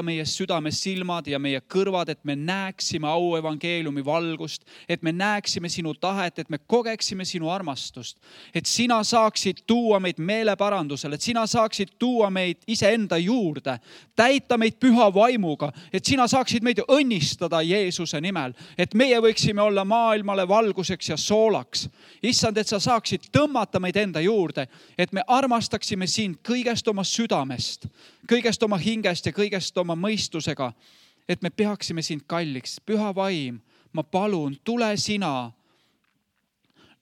meie südame silmad ja meie kõrvad, et me näeksime auevangeeliumi valgust, et me näeksime sinu tahet, et me kogeksime sinu armastust, et sina saaksid tuua meid meeleparandusele, et sina saaksid tuua meid iseenda juurde, täita meid püha vaimuga, et sina saaksid meid õnnistada Jeesuse nimel, et meie võiksime olla maailmale valguseks ja soolaks. Issand, et sa saaksid tõmmata meid enda juurde, et me armastaksime sind kõigest oma südamest, kõigest oma hingest ja kõigest oma mõistusega, et me peaksime sind kalliks. Püha vaim, ma palun, tule sina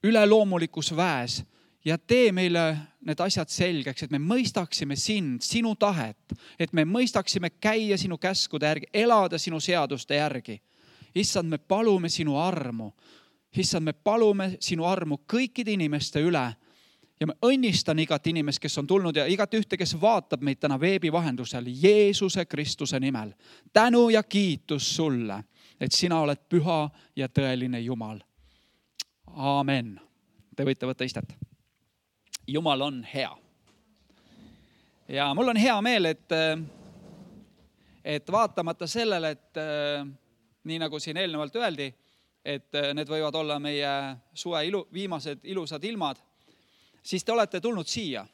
üleloomulikus väes ja tee meile need asjad selgeks, et me mõistaksime sind, sinu tahet, et me mõistaksime käia sinu käskude järgi, elada sinu seaduste järgi. Issand, me palume sinu armu. Issand, me palume sinu armu kõikide inimeste üle. Ja ma õnnistan igat inimest, kes on tulnud ja igat ühte, kes vaatab meid täna veebi vahendusel Jeesuse Kristuse nimel. Tänu ja kiitus sulle, et sina oled püha ja tõeline Jumal. Aamen. Te võite võtta istet. Jumal on hea. Ja mul on hea meel, et vaatamata sellele, et nii nagu siin eelnevalt öeldi, et need võivad olla meie suve viimased ilusad ilmad, siis te olete tulnud siia.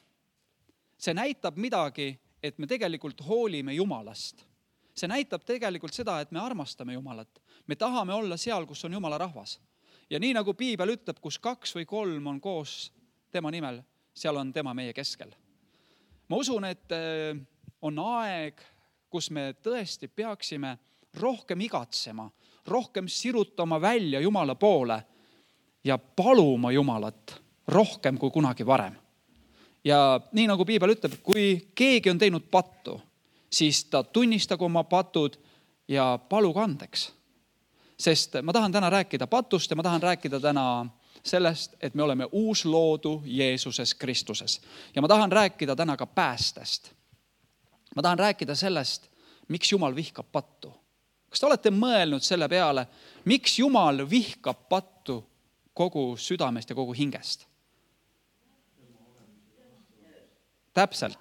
See näitab midagi, et me tegelikult hoolime Jumalast. See näitab tegelikult seda, et me armastame Jumalat. Me tahame olla seal, kus on Jumala rahvas. Ja nii nagu Piibel ütleb, kus 2 või 3 on koos tema nimel, seal on tema meie keskel. Ma usun, et on aeg, kus me tõesti peaksime rohkem igatsema, rohkem sirutama välja Jumala poole ja paluma Jumalat rohkem kui kunagi varem. Ja nii nagu Piibel ütleb, kui keegi on teinud pattu, siis ta tunnistagu oma patud ja palugu andeks. Sest ma tahan täna rääkida patust ja ma tahan rääkida täna sellest, et me oleme uus loodu Jeesuses Kristuses. Ja ma tahan rääkida täna ka päästest. Ma tahan rääkida sellest, miks Jumal vihkab pattu. Kas te olete mõelnud selle peale, miks Jumal vihkab pattu kogu südamest ja kogu hingest? Täpselt.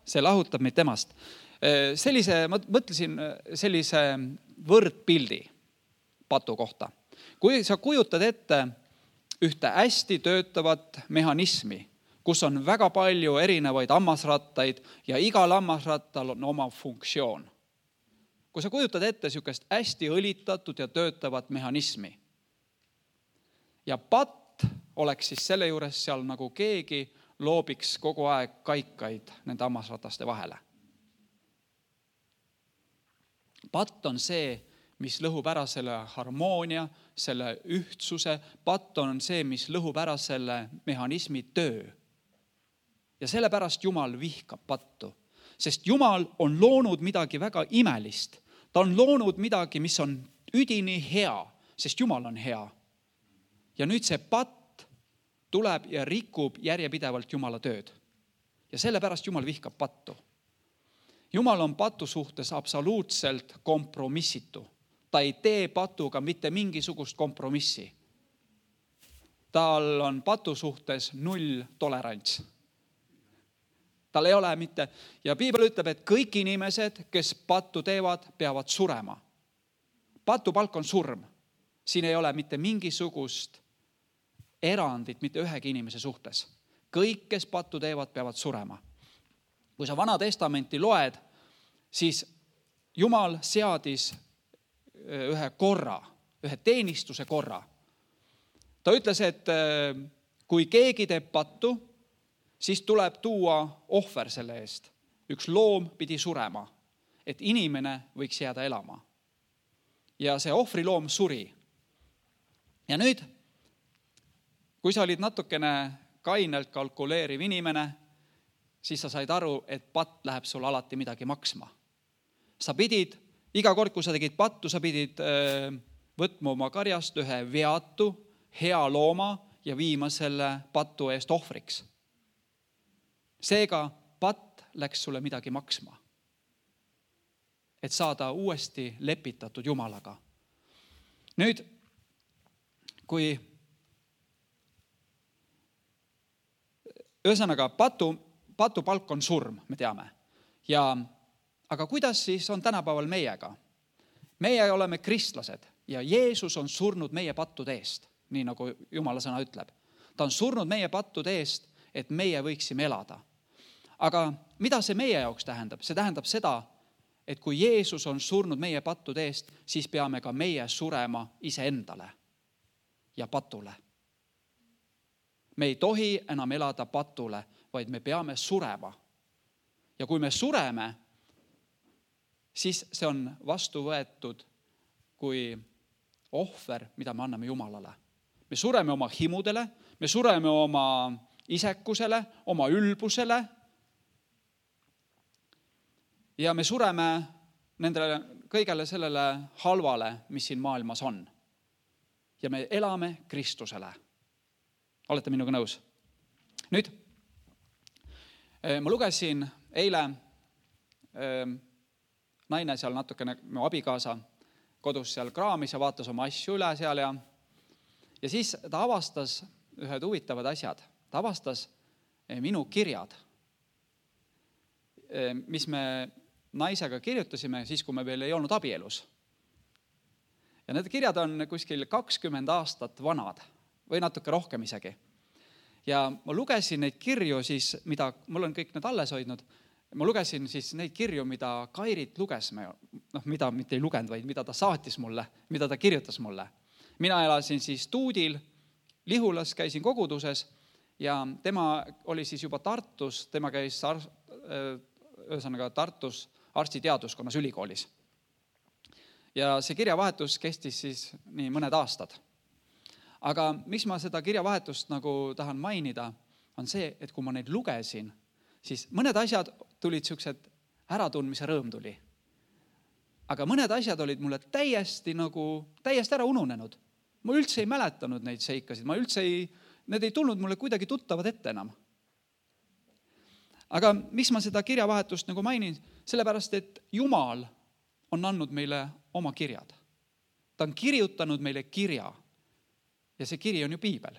See lahutab meid temast. Ma mõtlesin sellise võrdpildi patu kohta. Kui sa kujutad ette ühte hästi töötavat mehhanismi, kus on väga palju erinevaid hammasrattaid ja igal hammasrattal on oma funktsioon. Kui sa kujutad ette sükest hästi õlitatud ja töötavat mehhanismi ja patt oleks siis selle juures seal nagu keegi loobiks kogu aeg kaikaid nende hammasrataste vahele. Patt on see, mis lõhub ära selle harmoonia, selle ühtsuse. Patt on see, mis lõhub ära selle mehhanismi töö. Ja sellepärast Jumal vihkab pattu. Sest Jumal on loonud midagi väga imelist. Ta on loonud midagi, mis on üdini hea, sest Jumal on hea. Ja nüüd see patt tuleb ja rikub järjepidevalt Jumala tööd. Ja sellepärast Jumal vihkab pattu. Jumal on patu suhtes absoluutselt kompromissitu. Ta ei tee patuga mitte mingisugust kompromissi. Tal on patu suhtes 0 tolerants. Tal ei ole mitte. Ja Piibel ütleb, et kõik inimesed, kes pattu teevad, peavad surema. Patu palk on surm. Siin ei ole mitte mingisugust erandit mitte ühegi inimese suhtes. Kõik, kes pattu teevad, peavad surema. Kui sa Vana Testamenti loed, siis Jumal seadis ühe korra, ühe teenistuse korra. Ta ütles, et kui keegi teeb pattu, siis tuleb tuua ohver selle eest. Üks loom pidi surema, et inimene võiks jääda elama. Ja see ohvriloom suri. Ja nüüd kui sa olid natukene kainelt kalkuleeriv inimene, siis sa said aru, et patt läheb sul alati midagi maksma. Sa pidid, iga kord, kui sa tegid pattu, sa pidid võtma oma karjast ühe veatu, hea looma ja viima selle patu eest ohvriks. Seega patt läks sulle midagi maksma, et saada uuesti lepitatud Jumalaga. Nüüd, kui ühesõnaga, patu palk on surm, me teame. aga kuidas siis on tänapäeval meiega? Meie oleme kristlased ja Jeesus on surnud meie pattude eest, nii nagu Jumala sõna ütleb. Ta on surnud meie pattude eest, et meie võiksime elada. Aga mida see meie jaoks tähendab? See tähendab seda, et kui Jeesus on surnud meie pattude eest, siis peame ka meie surema iseendale ja patule. Me ei tohi enam elada patule, vaid me peame surema. Ja kui me sureme, siis see on vastu võetud kui ohver, mida me anname Jumalale. Me sureme oma himudele, me sureme oma isekusele, oma ülbusele ja me sureme nendele kõigele sellele halvale, mis siin maailmas on. Ja me elame Kristusele. Olete minuga nõus? Nüüd, ma lugesin eile naine seal natukene, mu abikaasa kodus seal kraamis ja vaatas oma asju üle seal ja siis ta avastas ühed huvitavad asjad. Ta avastas minu kirjad, mis me naisega kirjutasime siis, kui me veel ei olnud abielus. Ja need kirjad on kuskil 20 aastat vanad või natuke rohkem isegi. Ja ma lugesin neid kirju siis, mida, mul on kõik need alles hoidnud, ma lugesin siis neid kirju, mida Kairit luges, mida mitte ei lugenud, vaid mida ta saatis mulle, mida ta kirjutas mulle. Mina elasin siis Tuudil, Lihulas käisin koguduses ja tema oli siis juba Tartus, tema käis Tartus arstiteaduskonnas ülikoolis. Ja see kirjavahetus kestis siis nii mõned aastad. Aga mis ma seda kirjavahetust nagu tahan mainida, on see, et kui ma neid lugesin, siis mõned asjad tulid sellised äratundmise rõõm tuli. Aga mõned asjad olid mulle täiesti ära ununenud. Ma üldse ei mäletanud neid seikasid, need ei tulnud mulle kuidagi tuttavad ette enam. Aga mis ma seda kirjavahetust nagu mainin? Sellepärast, et Jumal on andnud meile oma kirjad. Ta on kirjutanud meile kirja ja see kiri on ju piibel.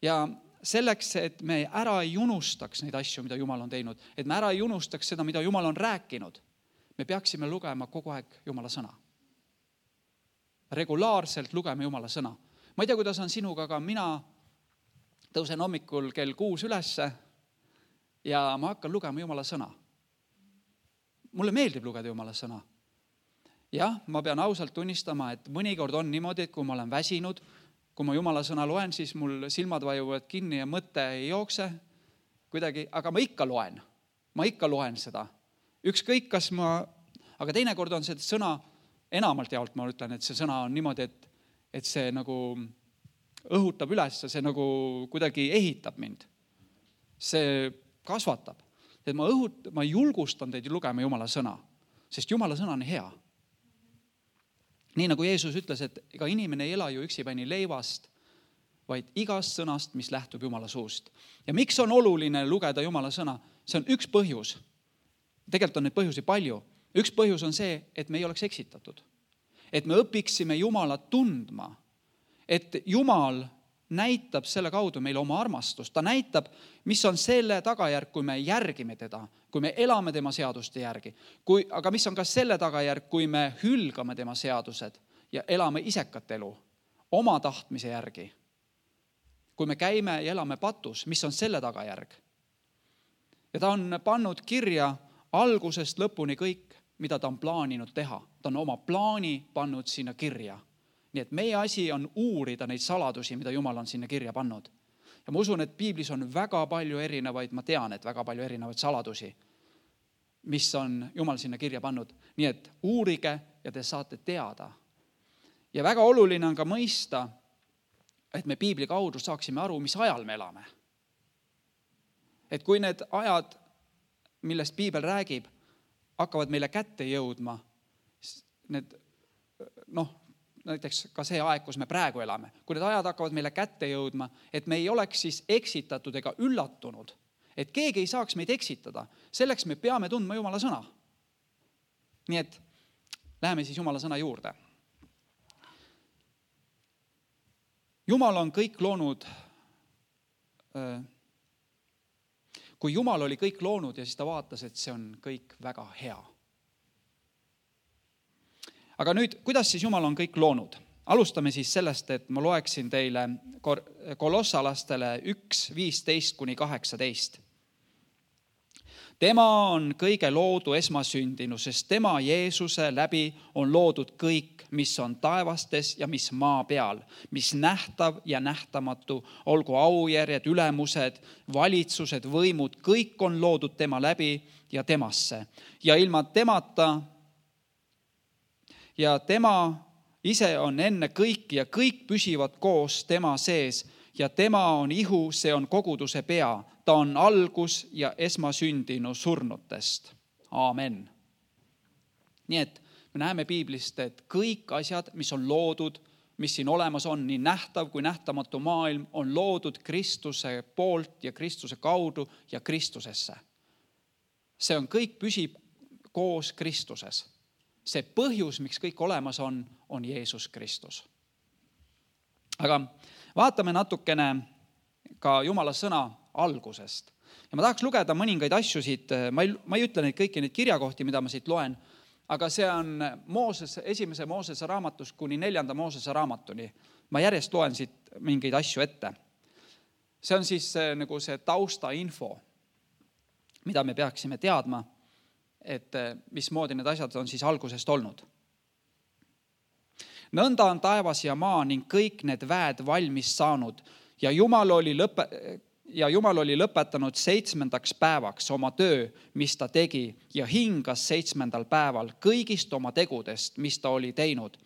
Ja selleks, et me ära ei unustaks neid asju, mida Jumal on teinud, et me ära ei unustaks seda, mida Jumal on rääkinud, me peaksime lugema kogu aeg Jumala sõna. Regulaarselt lugeme Jumala sõna. Ma ei tea, kuidas on sinuga, aga mina tõusen hommikul kell 6 ülesse ja ma hakkan lugema Jumala sõna. Mulle meeldib lugeda Jumala sõna. Jah, ma pean ausalt tunnistama, et mõnikord on niimoodi, et kui ma olen väsinud, kui ma Jumala sõna loen, siis mul silmad vajuvad kinni ja mõte ei jookse kuidagi, aga ma ikka loen seda. Ükskõik, aga teinekord on see sõna, enamalt jaolt ma ütlen, et see sõna on niimoodi, et see nagu õhutab üles, see nagu kuidagi ehitab mind. See kasvatab. Et ma julgustan teid lugema Jumala sõna, sest Jumala sõna on hea. Nii nagu Jeesus ütles, et ega inimene ei ela ju üksipäini leivast, vaid igast sõnast, mis lähtub Jumala suust. Ja miks on oluline lugeda Jumala sõna? See on üks põhjus. Tegelikult on neid põhjusi palju. Üks põhjus on see, et me ei oleks eksitatud. Et me õpiksime Jumalat tundma. Et Jumal näitab selle kaudu meile oma armastust. Ta näitab, mis on selle tagajärg, kui me järgime teda, kui me elame tema seaduste järgi. Aga mis on ka selle tagajärg, kui me hülgame tema seadused ja elame isekat elu oma tahtmise järgi. Kui me käime ja elame patus, mis on selle tagajärg. Ja ta on pannud kirja algusest lõpuni kõik, mida ta on plaaninud teha. Ta on oma plaani pannud sinna kirja. Nii et meie asi on uurida neid saladusi, mida Jumal on sinna kirja pannud. Ja ma usun, et piiblis on väga palju erinevaid, ma tean, et väga palju erinevaid saladusi, mis on Jumal sinna kirja pannud. Nii et uurige ja te saate teada. Ja väga oluline on ka mõista, et me piibli kaudu saaksime aru, mis ajal me elame. Et kui need ajad, millest piibel räägib, hakkavad meile kätte jõudma, näiteks ka see aeg, kus me praegu elame, kui need ajad hakkavad meile kätte jõudma, et me ei oleks siis eksitatud ega üllatunud, et keegi ei saaks meid eksitada, selleks me peame tundma Jumala sõna. Nii et läheme siis Jumala sõna juurde. Jumal on kõik loonud, kui Jumal oli kõik loonud ja siis ta vaatas, et see on kõik väga hea. Aga nüüd, kuidas siis Jumal on kõik loonud? Alustame siis sellest, et ma loeksin teile kolossalastele 1:15-18. Tema on kõige loodu esmasündinu, sest tema Jeesuse läbi on loodud kõik, mis on taevastes ja mis maa peal, mis nähtav ja nähtamatu, olgu aujärjed, ülemused, valitsused, võimud, kõik on loodud tema läbi ja temasse. Ja ilma temata ja tema ise on enne kõiki ja kõik püsivad koos tema sees ja tema on ihu, see on koguduse pea. Ta on algus ja esmasündinu surnutest. Aamen. Nii et me näeme piiblist, et kõik asjad, mis on loodud, mis siin olemas on, nii nähtav kui nähtamatu maailm, on loodud Kristuse poolt ja Kristuse kaudu ja Kristusesse. See on kõik püsib koos Kristuses. See põhjus, miks kõik olemas on Jeesus Kristus. Aga vaatame natukene ka Jumala sõna algusest. Ja ma tahaks lugeda mõningaid asju siit, ma ei ütle neid kõiki neid kirjakohti, mida ma siit loen, aga see on esimese Moosese raamatust kuni 4. Moosese raamatuni. Ma järjest loen siit mingeid asju ette. See on siis nagu see taustainfo, mida me peaksime teadma, et mismoodi need asjad on siis algusest olnud. Nõnda on taevas ja maa ning kõik need väed valmis saanud ja Jumal oli lõpetanud 7. päevaks oma töö, mis ta tegi ja hingas 7. päeval kõigist oma tegudest, mis ta oli teinud.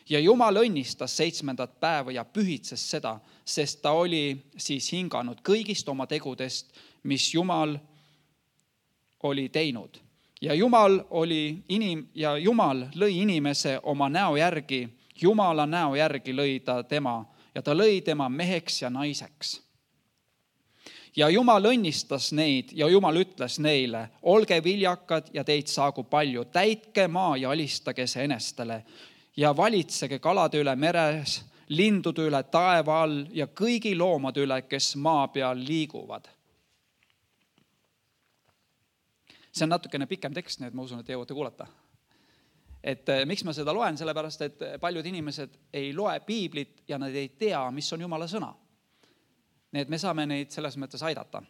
Ja Jumal õnnistas 7. päeva ja pühitses seda, sest ta oli siis hinganud kõigist oma tegudest, mis Jumal oli teinud. Ja Jumal lõi inimese oma näo järgi, Jumala näo järgi lõi ta tema ja ta lõi tema meheks ja naiseks. Ja Jumal õnnistas neid ja Jumal ütles neile, olge viljakad ja teid saagu palju, täitke maa ja alistage see enestele ja valitsege kalade üle meres, lindude üle taeva all ja kõigi loomade üle, kes maa peal liiguvad. See on natukene pikem tekst, nii et ma usun, et jõuate kuulata. Et miks ma seda loen, sellepärast, et paljud inimesed ei loe piiblit ja nad ei tea, mis on Jumala sõna. Nii et me saame neid selles mõttes aidata.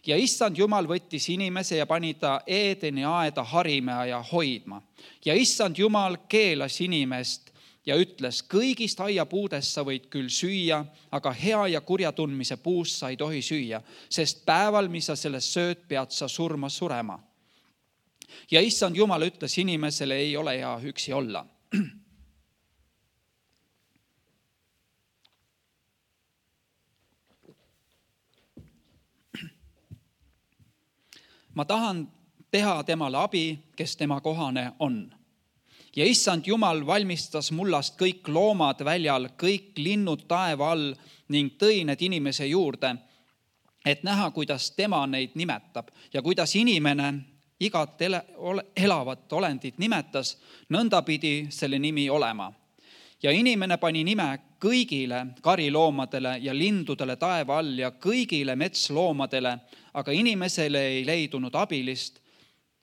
Ja issand Jumal võttis inimese ja pani ta Eedeni aeda harima ja hoidma. Ja issand Jumal keelas inimest ja ütles, kõigist aiapuudest sa võid küll süüa, aga hea ja kurja tundmise puust sa ei tohi süüa, sest päeval, mis sa sellest sööd, pead sa surema. Ja issand Jumal ütles inimesele, ei ole hea üksi olla. Ma tahan teha temale abi, kes tema kohane on. Ja issand Jumal valmistas mullast kõik loomad väljal, kõik linnud taeva all ning tõi need inimese juurde, et näha, kuidas tema neid nimetab ja kuidas inimene igat elavat olendit nimetas, nõnda pidi selle nimi olema. Ja inimene pani nime kõigile kariloomadele ja lindudele taeva all ja kõigile metsloomadele, aga inimesele ei leidunud abilist,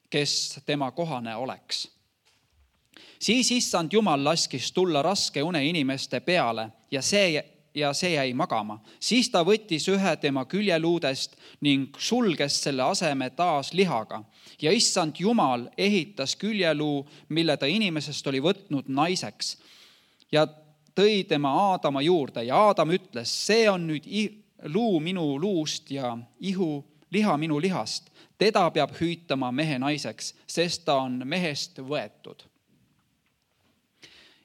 kes tema kohane oleks. Siis issand Jumal laskis tulla raske une inimeste peale ja see jäi magama. Siis ta võttis ühe tema küljeluudest ning sulges selle aseme taas lihaga. Ja issand Jumal ehitas küljeluu, mille ta inimesest oli võtnud naiseks ja tõi tema Aadama juurde. Ja Aadam ütles, see on nüüd luu minu luust ja liha minu lihast. Teda peab hüütama mehe naiseks, sest ta on mehest võetud.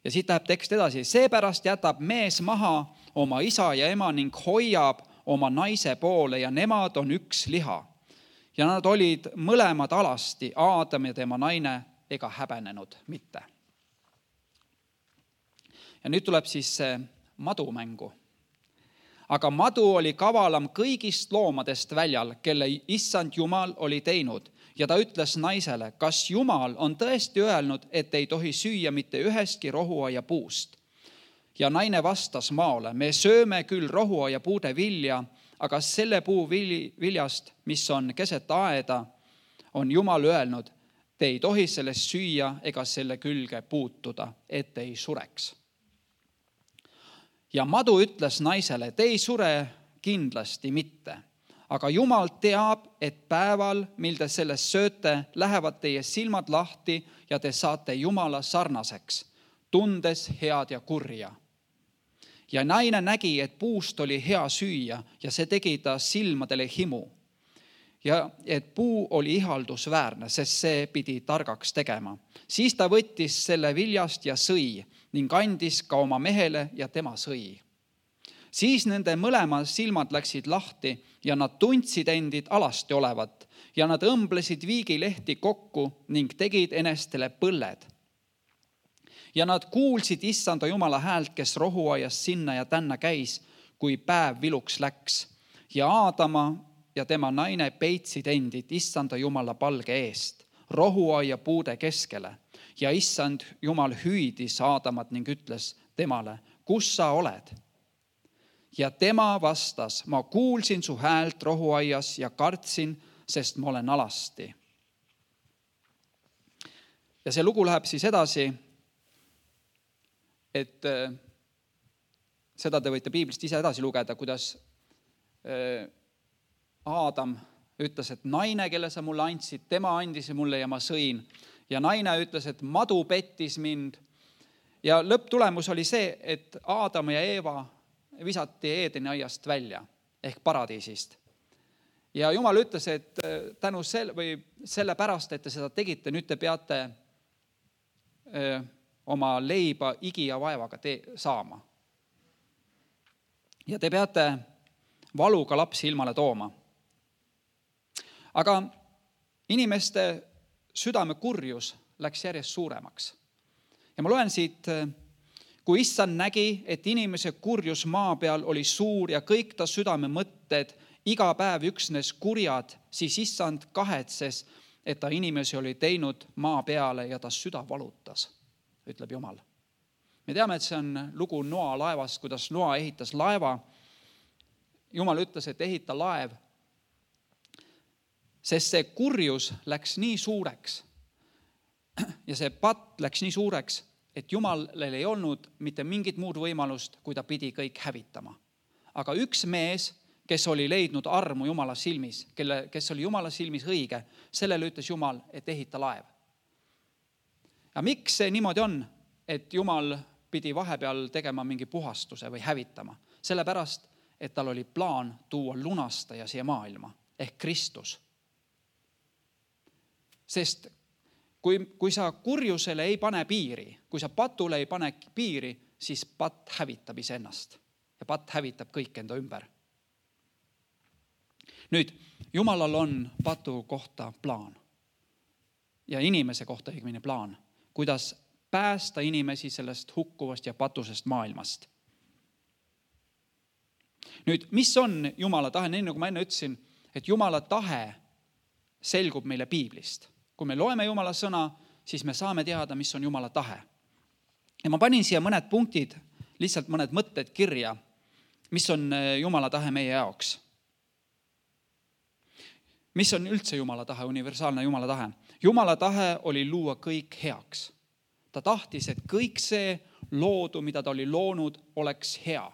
Ja siit läheb tekst edasi. Seepärast jätab mees maha oma isa ja ema ning hoiab oma naise poole ja nemad on üks liha. Ja nad olid mõlemad alasti, Aadam ja tema naine, ega häbenenud mitte. Ja nüüd tuleb siis see madu mängu. Aga madu oli kavalam kõigist loomadest väljal, kelle issand Jumal oli teinud. Ja ta ütles naisele, kas Jumal on tõesti öelnud, et ei tohi süüa mitte ühestki rohuaia puust. Ja naine vastas maole, me sööme küll rohuaia puude vilja, Aga selle puu viljast, mis on keset aeda, on Jumal öelnud, te ei tohi sellest süüa ega selle külge puutuda, et ei sureks. Ja madu ütles naisele, te ei sure kindlasti mitte. Aga Jumal teab, et päeval, mil te sellest sööte, lähevad teie silmad lahti ja te saate Jumala sarnaseks, tundes head ja kurja. Ja naine nägi, et puust oli hea süüa ja see tegi ta silmadele himu. Ja et puu oli ihaldusväärne, sest see pidi targaks tegema. Siis ta võttis selle viljast ja sõi ning andis ka oma mehele ja tema sõi. Siis nende mõlema silmad läksid lahti ja nad tundsid endid alasti olevat ja nad õmblesid viigilehti kokku ning tegid enestele põlled. Ja nad kuulsid issanda Jumala häält, kes rohuaias sinna ja tänna käis, kui päev viluks läks. Ja Aadama ja tema naine peitsid endid issanda Jumala palge eest, rohuaia puude keskele. Ja issand Jumal hüüdis Aadamat ning ütles temale, kus sa oled? Ja tema vastas, ma kuulsin su häält rohuaias ja kartsin, sest ma olen alasti. Ja see lugu läheb siis edasi, et seda te võite piiblist ise edasi lugeda, kuidas Aadam ütles, et naine, kelle sa mulle andsid, tema andis mulle ja ma sõin. Ja naine ütles, et madu pettis mind. Ja lõpptulemus oli see, et Aadam ja Eeva visati Eedeni aiast välja ehk paradiisist. Ja Jumal ütles, et tänu selle pärast, et te seda tegite, nüüd te peate oma leiba igi ja vaevaga saama. Ja te peate valuga lapsi ilmale tooma. Aga inimeste südame kurjus läks järjest suuremaks. Ja ma loen siit, kui issand nägi, et inimese kurjus maa peal oli suur ja kõik ta südame mõtted iga päev üksnes kurjad, siis issand kahetses, et ta inimesi oli teinud maa peale ja ta süda valutas, ütleb Jumal. Me teame, et see on lugu Noa laevast, kuidas Noa ehitas laeva. Jumal ütles, et ehita laev, sest see kurjus läks nii suureks ja see patt läks nii suureks, et Jumalel ei olnud mitte mingit muud võimalust, kui ta pidi kõik hävitama. Aga üks mees, kes oli leidnud armu Jumala silmis, kes oli Jumala silmis õige, sellele ütles Jumal, et ehita laev. Ja miks see niimoodi on, et Jumal pidi vahepeal tegema mingi puhastuse või hävitama? Sellepärast, et tal oli plaan tuua lunastaja siia maailma, ehk Kristus. Sest kui sa kurjusele ei pane piiri, kui sa patule ei pane piiri, siis patt hävitab iseennast ja patt hävitab kõik enda ümber. Nüüd, Jumalal on patu kohta plaan ja inimese kohta õigemini plaan, kuidas päästa inimesi sellest hukkuvast ja patusest maailmast. Nüüd, mis on Jumala tahe? Nii nagu ma enne ütlesin, et Jumala tahe selgub meile piiblist. Kui me loeme Jumala sõna, siis me saame teada, mis on Jumala tahe. Ja ma panin siia mõned punktid, lihtsalt mõned mõtted kirja, mis on Jumala tahe meie jaoks. Mis on üldse Jumala tahe, universaalne Jumala tahe? Jumala tahe oli luua kõik heaks. Ta tahtis, et kõik see loodu, mida ta oli loonud, oleks hea.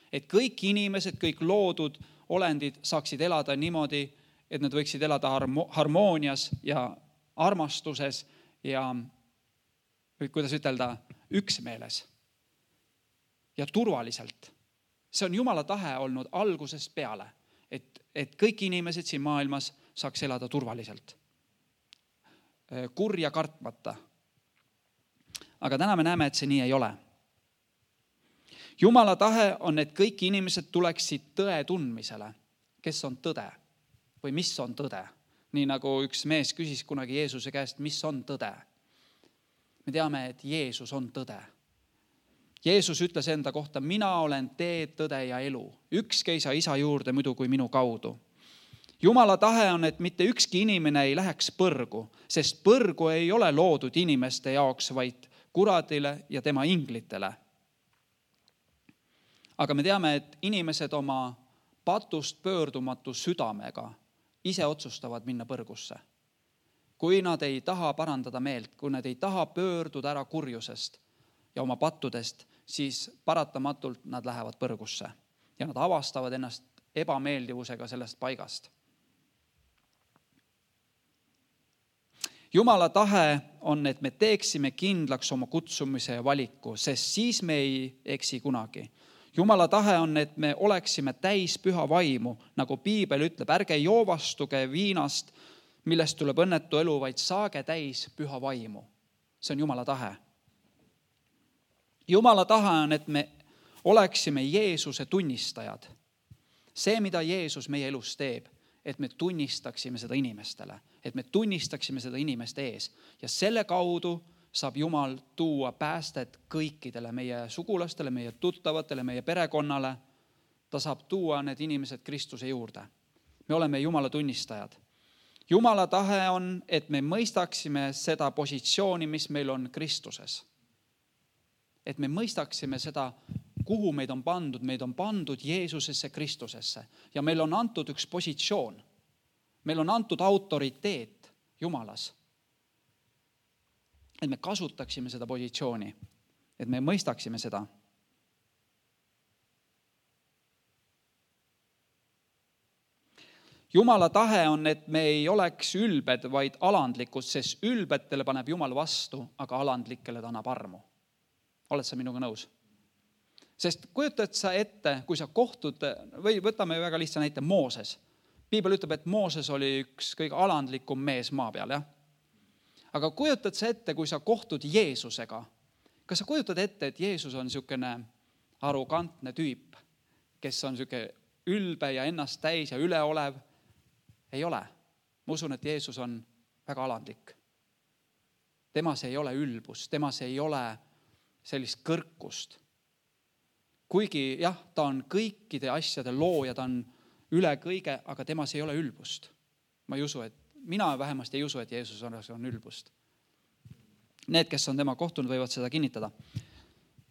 Et kõik inimesed, kõik loodud olendid saaksid elada niimoodi, et nad võiksid elada harmoonias ja armastuses ja, kuidas ütelda, üksmeeles ja turvaliselt. See on Jumala tahe olnud algusest peale, et kõik inimesed siin maailmas saaks elada turvaliselt, kurja kartmata. Aga täna me näeme, et see nii ei ole. Jumala tahe on, et kõik inimesed tuleksid tõe tundmisele, kes on tõde või mis on tõde. Nii nagu üks mees küsis kunagi Jeesuse käest, mis on tõde. Me teame, et Jeesus on tõde. Jeesus ütles enda kohta, mina olen tee, tõde ja elu. Ükski ei saa isa juurde muidu kui minu kaudu. Jumala tahe on, et mitte ükski inimene ei läheks põrgu, sest põrgu ei ole loodud inimeste jaoks, vaid kuradile ja tema inglitele. Aga me teame, et inimesed oma patust pöördumatu südamega ise otsustavad minna põrgusse. Kui nad ei taha parandada meelt, kui nad ei taha pöörduda ära kurjusest ja oma pattudest, siis paratamatult nad lähevad põrgusse ja nad avastavad ennast ebameeldivusega sellest paigast. Jumala tahe on, et me teeksime kindlaks oma kutsumise ja valiku, sest siis me ei eksi kunagi. Jumala tahe on, et me oleksime täis püha vaimu, nagu piibel ütleb, ärge joovastuge viinast, millest tuleb õnnetu elu, vaid saage täis püha vaimu. See on Jumala tahe. Jumala tahe on, et me oleksime Jeesuse tunnistajad. See, mida Jeesus meie elus teeb, et me tunnistaksime seda inimestele, et me tunnistaksime seda inimeste ees. Ja selle kaudu saab Jumal tuua päästet kõikidele meie sugulastele, meie tuttavatele, meie perekonnale. Ta saab tuua need inimesed Kristuse juurde. Me oleme Jumala tunnistajad. Jumala tahe on, et me mõistaksime seda positsiooni, mis meil on Kristuses. Et me mõistaksime seda, kuhu meid on pandud Jeesusesse, Kristusesse. Ja meil on antud üks positsioon. Meil on antud autoriteet Jumalas. Et me kasutaksime seda positsiooni. Et me mõistaksime seda. Jumala tahe on, et me ei oleks ülbed, vaid alandlikud, sest ülbetele paneb Jumal vastu, aga alandlikele ta annab armu. Oled sa minuga nõus? Sest kujutad sa ette, kui sa kohtud, või võtame väga lihtsa näite, Mooses. Piibel ütleb, et Mooses oli üks kõige alandlikum mees maa peal, jah? Aga kujutad sa ette, kui sa kohtud Jeesusega? Kas sa kujutad ette, et Jeesus on niisugune arrogantne tüüp, kes on niisugune ülbe ja ennast täis ja üleolev? Ei ole. Ma usun, et Jeesus on väga alandlik. Temas ei ole ülbust, temas ei ole sellist kõrkust. Kuigi jah, ta on kõikide asjade looja, ta on üle kõige, aga temas ei ole ülbust. Ma ei usu, mina vähemasti ei usu, et Jeesus on ülbust. Need, kes on tema kohtunud, võivad seda kinnitada.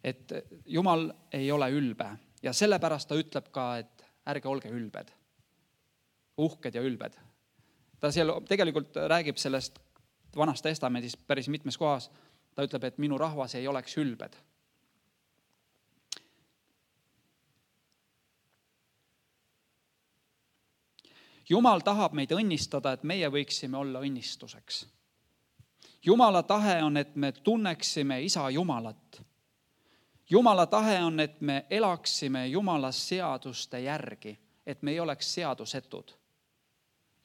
Et Jumal ei ole ülbe ja sellepärast ta ütleb ka, et ärge olge ülbed. Uhked ja ülbed. Ta seal tegelikult räägib sellest Vanas Testamendis päris mitmes kohas. Ta ütleb, et minu rahvas ei oleks ülbed. Jumal tahab meid õnnistada, et meie võiksime olla õnnistuseks. Jumala tahe on, et me tunneksime Isa Jumalat. Jumala tahe on, et me elaksime Jumala seaduste järgi, et me ei oleks seadusetud.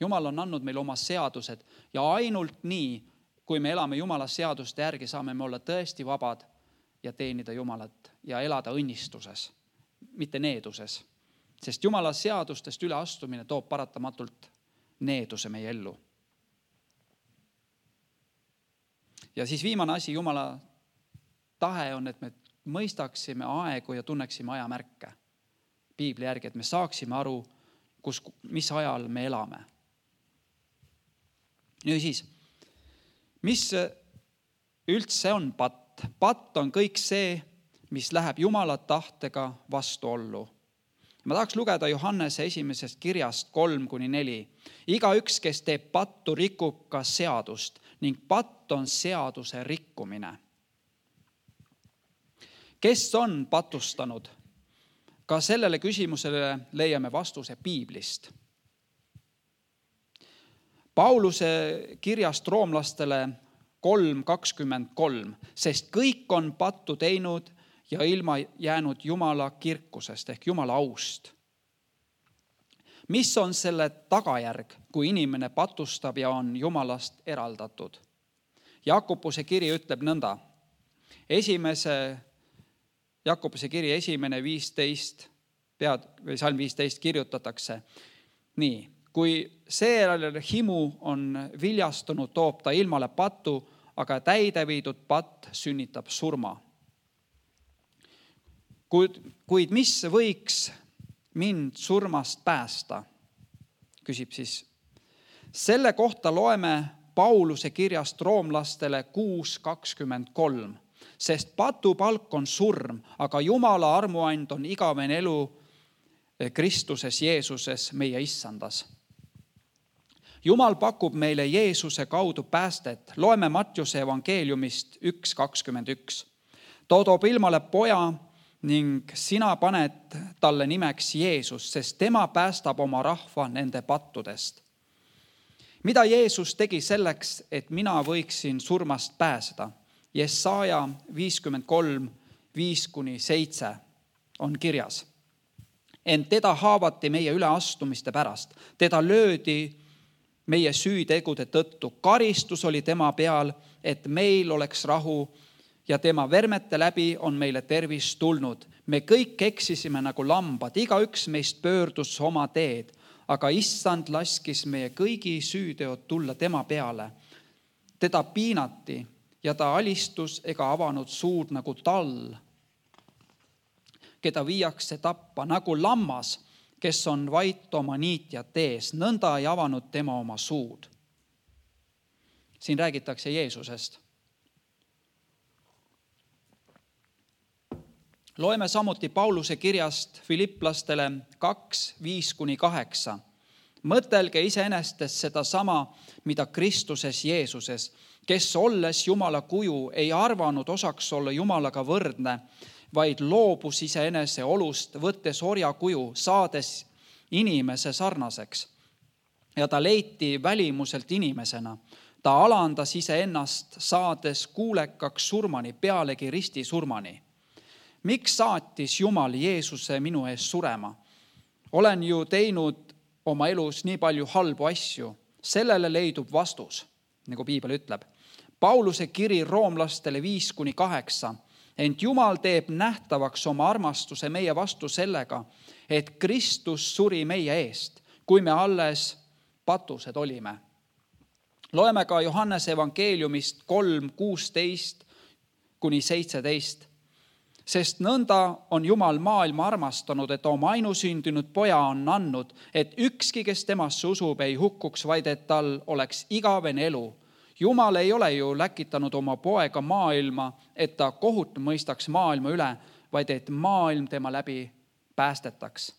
Jumal on andnud meile oma seadused ja ainult nii, kui me elame Jumala seaduste järgi, saame me olla tõesti vabad ja teenida Jumalat ja elada õnnistuses, mitte needuses. Sest Jumala seadustest üleastumine toob paratamatult needuse meie ellu. Ja siis viimane asi, Jumala tahe on, et me mõistaksime aegu ja tunneksime ajamärke Piibli järgi, et me saaksime aru, mis ajal me elame. Nüüd siis, mis üldse on patt? Patt on kõik see, mis läheb Jumala tahtega vastuollu. Ma tahaks lugeda Johannese esimesest kirjast 3-4. Igaüks, kes teeb pattu, rikub ka seadust ning patt on seaduse rikkumine. Kes on patustanud? Ka sellele küsimusele leiame vastuse Piiblist. Pauluse kirjast roomlastele 3:23, sest kõik on pattu teinud ja ilma jäänud Jumala kirkusest ehk Jumala aust. Mis on selle tagajärg, kui inimene patustab ja on Jumalast eraldatud? Jakobuse kiri ütleb nõnda. Jakobuse kiri 1:15, salm 15 kirjutatakse nii. Kui seejärel himu on viljastunud, toob ta ilmale patu, aga täide viidud patt sünnitab surma. Kuid mis võiks mind surmast päästa? Küsib siis. Selle kohta loeme Pauluse kirjast roomlastele 6:23, sest patu palk on surm, aga Jumala armuand on igavene elu Kristuses Jeesuses, meie issandas. Jumal pakub meile Jeesuse kaudu päästet. Loeme Mattiuse evangeeliumist 1:21. Too toob ilmale poja ning sina paned talle nimeks Jeesus, sest tema päästab oma rahva nende pattudest. Mida Jeesus tegi selleks, et mina võiksin surmast pääseda? Jesaja 53:5-7 on kirjas. Ent teda haavati meie üleastumiste pärast. Teda löödi meie süütegude tõttu. Karistus oli tema peal, et meil oleks rahu ja tema vermete läbi on meile tervis tulnud. Me kõik eksisime nagu lambad, igaüks meist pöördus oma teed, aga issand laskis meie kõigi süüteod tulla tema peale. Teda piinati ja ta alistus ega avanud suud nagu tall, keda viiakse tappa, nagu lammas, kes on vait oma niitjate ees, nõnda ei avanud tema oma suud. Siin räägitakse Jeesusest. Loeme samuti Pauluse kirjast Filipplastele 2:5-8. Mõtelge iseenestest seda sama, mida Kristuses Jeesuses, kes olles Jumala kuju ei arvanud osaks olla Jumalaga võrdne, vaid loobus iseenese olust, võttes orja kuju, saades inimese sarnaseks. Ja ta leiti välimuselt inimesena. Ta alandas iseennast, saades kuulekaks surmani, pealegi ristisurmani. Miks saatis Jumal Jeesuse minu ees surema? Olen ju teinud oma elus nii palju halbu asju. Sellele leidub vastus, nagu piibel ütleb. Pauluse kiri roomlastele 5-8. Ent Jumal teeb nähtavaks oma armastuse meie vastu sellega, et Kristus suri meie eest, kui me alles patused olime. Loeme ka Johannese evangeeliumist 3:16-17. Sest nõnda on Jumal maailma armastanud, et oma ainusündinud poja on andnud, et ükski, kes temasse usub, ei hukkuks, vaid et tal oleks igavene elu. Jumal ei ole ju läkitanud oma poega maailma, et ta kohut mõistaks maailma üle, vaid et maailm tema läbi päästetaks.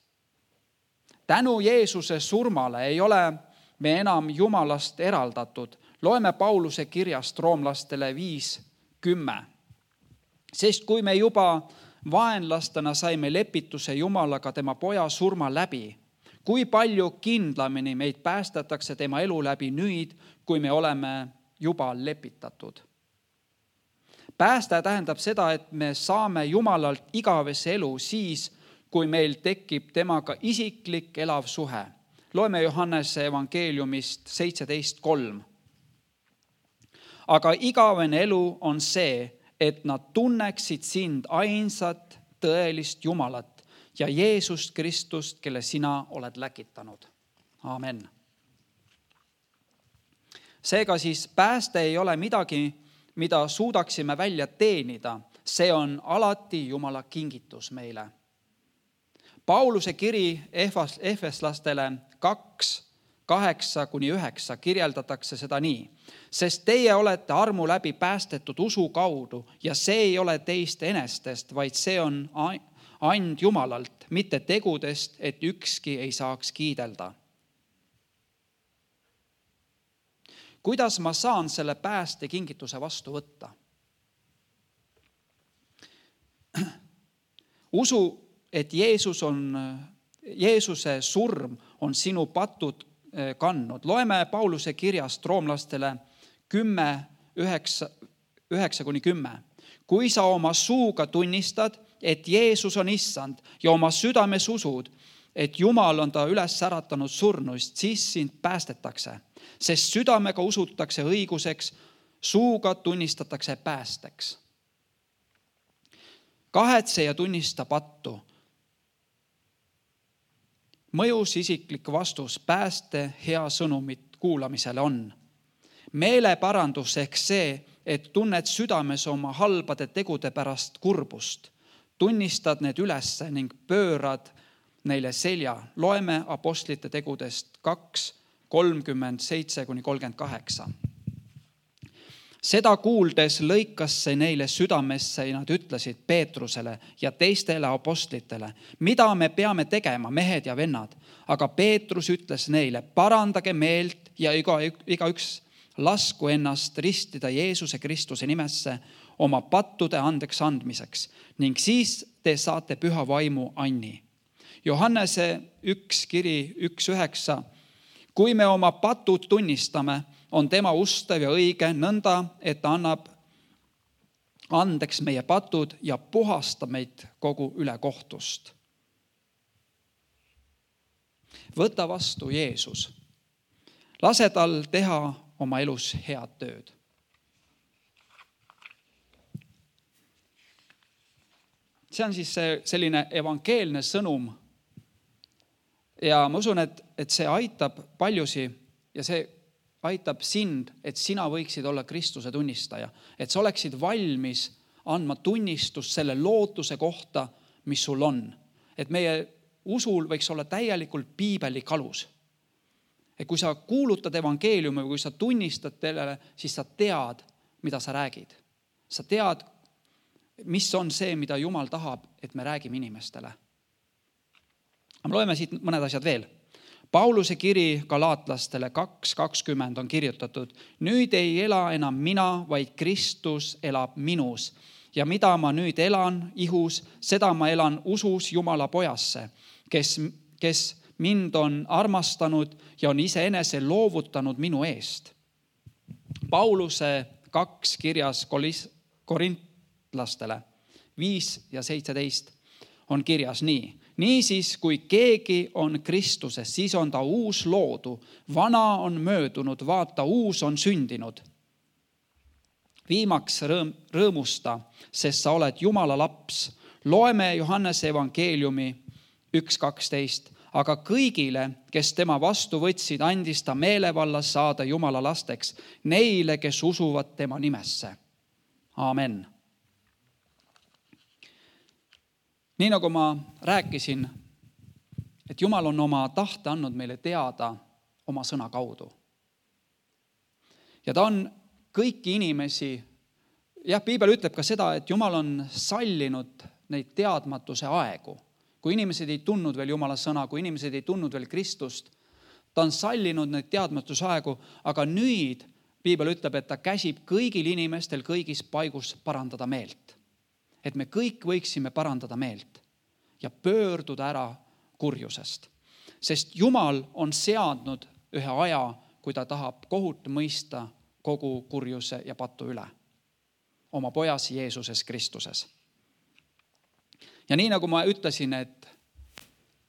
Tänu Jeesuse surmale ei ole me enam Jumalast eraldatud. Loeme Pauluse kirjast roomlastele 5:10. Sest kui me juba vaenlastena saime lepituse Jumalaga tema poja surma läbi, kui palju kindlamini meid päästetakse tema elu läbi nüüd, kui me oleme juba lepitatud. Pääste tähendab seda, et me saame Jumalalt igavese elu siis, kui meil tekib temaga isiklik elav suhe. Loeme Johannese evangeeliumist 17:3. Aga igavene elu on see, et nad tunneksid sind ainsat tõelist Jumalat ja Jeesust Kristust, kelle sina oled läkitanud. Amen. Seega siis pääste ei ole midagi, mida suudaksime välja teenida. See on alati Jumala kingitus meile. Pauluse kiri Efeslastele 2:8-9 kirjeldatakse seda nii. Sest teie olete armu läbi päästetud usu kaudu ja see ei ole teist enestest, vaid see on and Jumalalt, mitte tegudest, et ükski ei saaks kiidelda. Kuidas ma saan selle pääste kingituse vastu võtta? Usu, et Jeesuse surm on sinu patud kandnud. Loeme Pauluse kirjast roomlastele 10:9-10. Kui sa oma suuga tunnistad, et Jeesus on issand ja oma südames usud, et Jumal on ta üles äratanud surnuist, siis sind päästetakse. Sest südamega usutakse õiguseks, suuga tunnistatakse päästeks. Kahetse ja tunnista pattu. Mõjus isiklik vastus pääste hea sõnumit kuulamisele on. Meeleparandus ehk see, et tunned südames oma halbade tegude pärast kurbust. Tunnistad need ülesse ning pöörad neile selja. Loeme apostlite tegudest 2:37-38. Seda kuuldes lõikas see neile südamesse ja nad ütlesid Peetrusele ja teistele apostlitele, mida me peame tegema, mehed ja vennad. Aga Peetrus ütles neile, parandage meelt ja igaüks lasku ennast ristida Jeesuse Kristuse nimesse oma pattude andeks andmiseks ning siis te saate püha vaimu anni. Johannese 1 kiri 1:9. Kui me oma patud tunnistame, on tema ustav ja õige nõnda, et ta annab andeks meie patud ja puhastab meid kogu ülekohtust. Võta vastu Jeesus. Lase tal teha oma elus head tööd. See on siis selline evangeelne sõnum. Ja ma usun, et see aitab paljusi ja see aitab sind, et sina võiksid olla Kristuse tunnistaja. Et sa oleksid valmis andma tunnistust selle lootuse kohta, mis sul on. Et meie usul võiks olla täielikult piibelik alus. Et kui sa kuulutad evangeeliumi või kui sa tunnistad teile, siis sa tead, mida sa räägid. Sa tead, mis on see, mida Jumal tahab, et me räägime inimestele. Me loeme siit mõned asjad veel. Pauluse kiri galaatlastele 2:20 on kirjutatud. Nüüd ei ela enam mina, vaid Kristus elab minus. Ja mida ma nüüd elan ihus, seda ma elan usus Jumala pojasse, kes mind on armastanud ja on iseenese loovutanud minu eest. Pauluse 2 kirjas korintlastele 5 ja 17 on kirjas nii. Niisiis, kui keegi on Kristuses, siis on ta uus loodu. Vana on möödunud, vaata, uus on sündinud. Viimaks rõõmusta, sest sa oled Jumala laps. Loeme Johannese evangeeliumi 1:12. Aga kõigile, kes tema vastu võtsid, andis ta meelevallas saada Jumala lasteks, neile, kes usuvad tema nimesse. Amen. Nii nagu ma rääkisin, et Jumal on oma tahte andnud meile teada oma sõna kaudu. Ja ta on kõiki inimesi, Piibel ütleb ka seda, et Jumal on sallinud neid teadmatuse aegu. Kui inimesed ei tundnud veel Jumala sõna, kui inimesed ei tundnud veel Kristust, ta on sallinud neid teadmatuse aegu, aga nüüd Piibel ütleb, et ta käsib kõigil inimestel kõigis paigus parandada meelt. Et me kõik võiksime parandada meelt ja pöörduda ära kurjusest. Sest Jumal on seadnud ühe aja, kui ta tahab kohut mõista kogu kurjuse ja patu üle. Oma pojas Jeesuses Kristuses. Ja nii nagu ma ütlesin,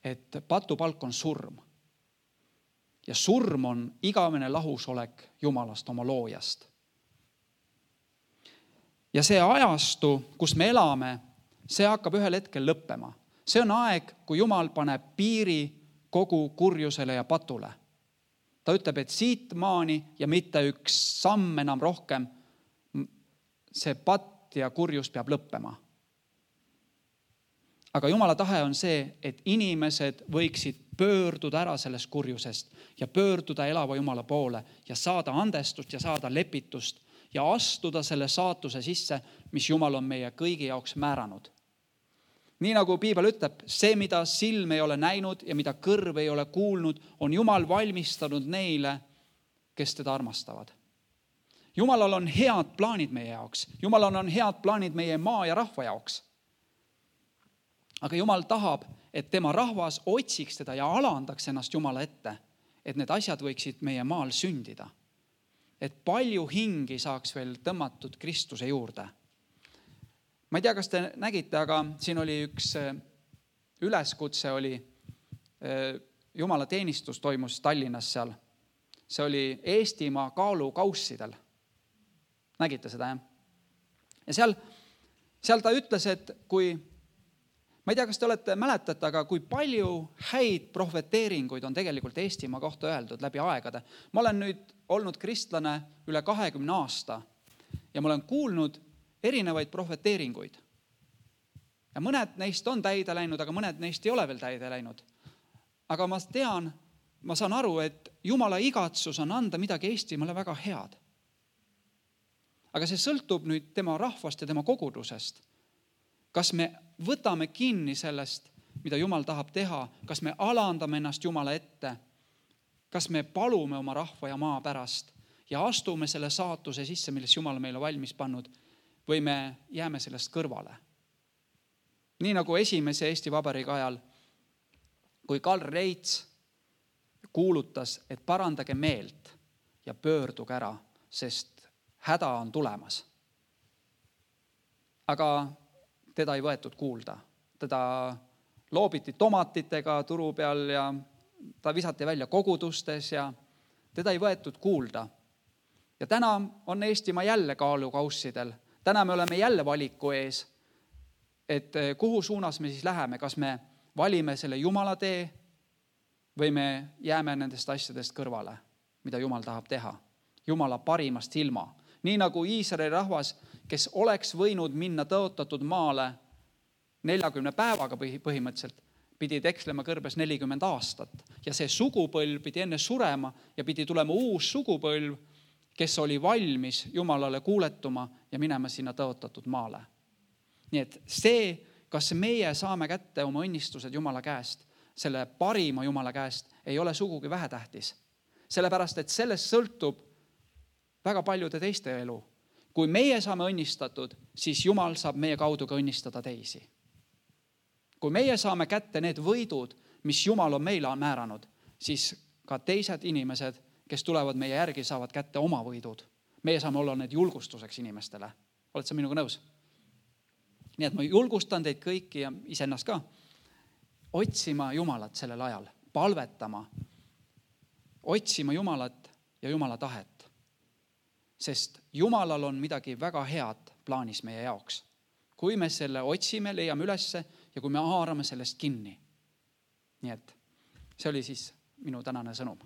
et patupalk on surm. Ja surm on igavene lahusolek Jumalast, oma loojast. Ja see ajastu, kus me elame, see hakkab ühel hetkel lõppema. See on aeg, kui Jumal paneb piiri kogu kurjusele ja patule. Ta ütleb, et siit maani ja mitte üks samm enam rohkem, see patt ja kurjus peab lõppema. Aga Jumala tahe on see, et inimesed võiksid pöörduda ära sellest kurjusest ja pöörduda elava Jumala poole ja saada andestust ja saada lepitust ja astuda selle saatuse sisse, mis Jumal on meie kõigi jaoks määranud. Nii nagu Piibel ütleb, see, mida silm ei ole näinud ja mida kõrv ei ole kuulnud, on Jumal valmistanud neile, kes teda armastavad. Jumalal on head plaanid meie jaoks. Jumalal on head plaanid meie maa ja rahva jaoks. Aga Jumal tahab, et tema rahvas otsiks teda ja alandaks ennast Jumala ette, et need asjad võiksid meie maal sündida. Et palju hingi saaks veel tõmmatud Kristuse juurde. Ma ei tea, kas te nägite, aga siin oli üks üleskutse, oli Jumala teenistus toimus Tallinnas seal. See oli Eestimaa kaalukaussidel. Nägite seda, jah? Ja seal ta ütles, et kui, ma ei tea, kas te olete mäletate, aga kui palju häid prohveteeringuid on tegelikult Eestimaa kohta öeldud läbi aegade. Ma olen nüüd olnud kristlane üle 20 aasta ja ma olen kuulnud erinevaid prohveteeringuid. Ja mõned neist on täide läinud, aga mõned neist ei ole veel täide läinud. Aga ma saan aru, et Jumala igatsus on anda midagi Eestimaale väga head. Aga see sõltub nüüd tema rahvast ja tema kogudusest. Kas me võtame kinni sellest, mida Jumal tahab teha, kas me alandame ennast Jumala ette, kas me palume oma rahva ja maa pärast ja astume selle saatuse sisse, milles Jumal meile valmis pannud, või me jääme sellest kõrvale. Nii nagu esimese Eesti Vabariigi ajal, kui Karl Reits kuulutas, et parandage meelt ja pöörduge ära, sest häda on tulemas. Aga teda ei võetud kuulda. Teda loobiti tomatitega turu peal ja ta visati välja kogudustes ja teda ei võetud kuulda. Ja täna on Eestimaa jälle kaalukaussidel. Täna me oleme jälle valiku ees, et kuhu suunas me siis läheme, kas me valime selle Jumala tee või me jääme nendest asjadest kõrvale, mida Jumal tahab teha. Jumala parimast ilma. Nii nagu Iisraeli rahvas, kes oleks võinud minna tõotatud maale 40 päevaga põhimõtteliselt, pidi tekslema kõrbes 40 aastat. Ja see sugupõlv pidi enne surema ja pidi tulema uus sugupõlv, kes oli valmis Jumalale kuuletuma ja minema sinna tõotatud maale. Nii et see, kas meie saame kätte oma õnnistused Jumala käest, selle parima Jumala käest, ei ole sugugi vähetähtis. Sellepärast, et sellest sõltub väga paljude teiste elu. Kui meie saame õnnistatud, siis Jumal saab meie kaudu ka õnnistada teisi. Kui meie saame kätte need võidud, mis Jumal on meile määranud, siis ka teised inimesed, kes tulevad meie järgi, saavad kätte oma võidud. Meie saame olla need julgustuseks inimestele. Oled sa minuga nõus? Nii et ma julgustan teid kõiki ja iseennast ka otsima Jumalat sellel ajal, palvetama, otsima Jumalat ja Jumala tahet. Sest Jumalal on midagi väga head plaanis meie jaoks. Kui me selle otsime, leiame ülesse ja kui me haarame sellest kinni. Nii et see oli siis minu tänane sõnum.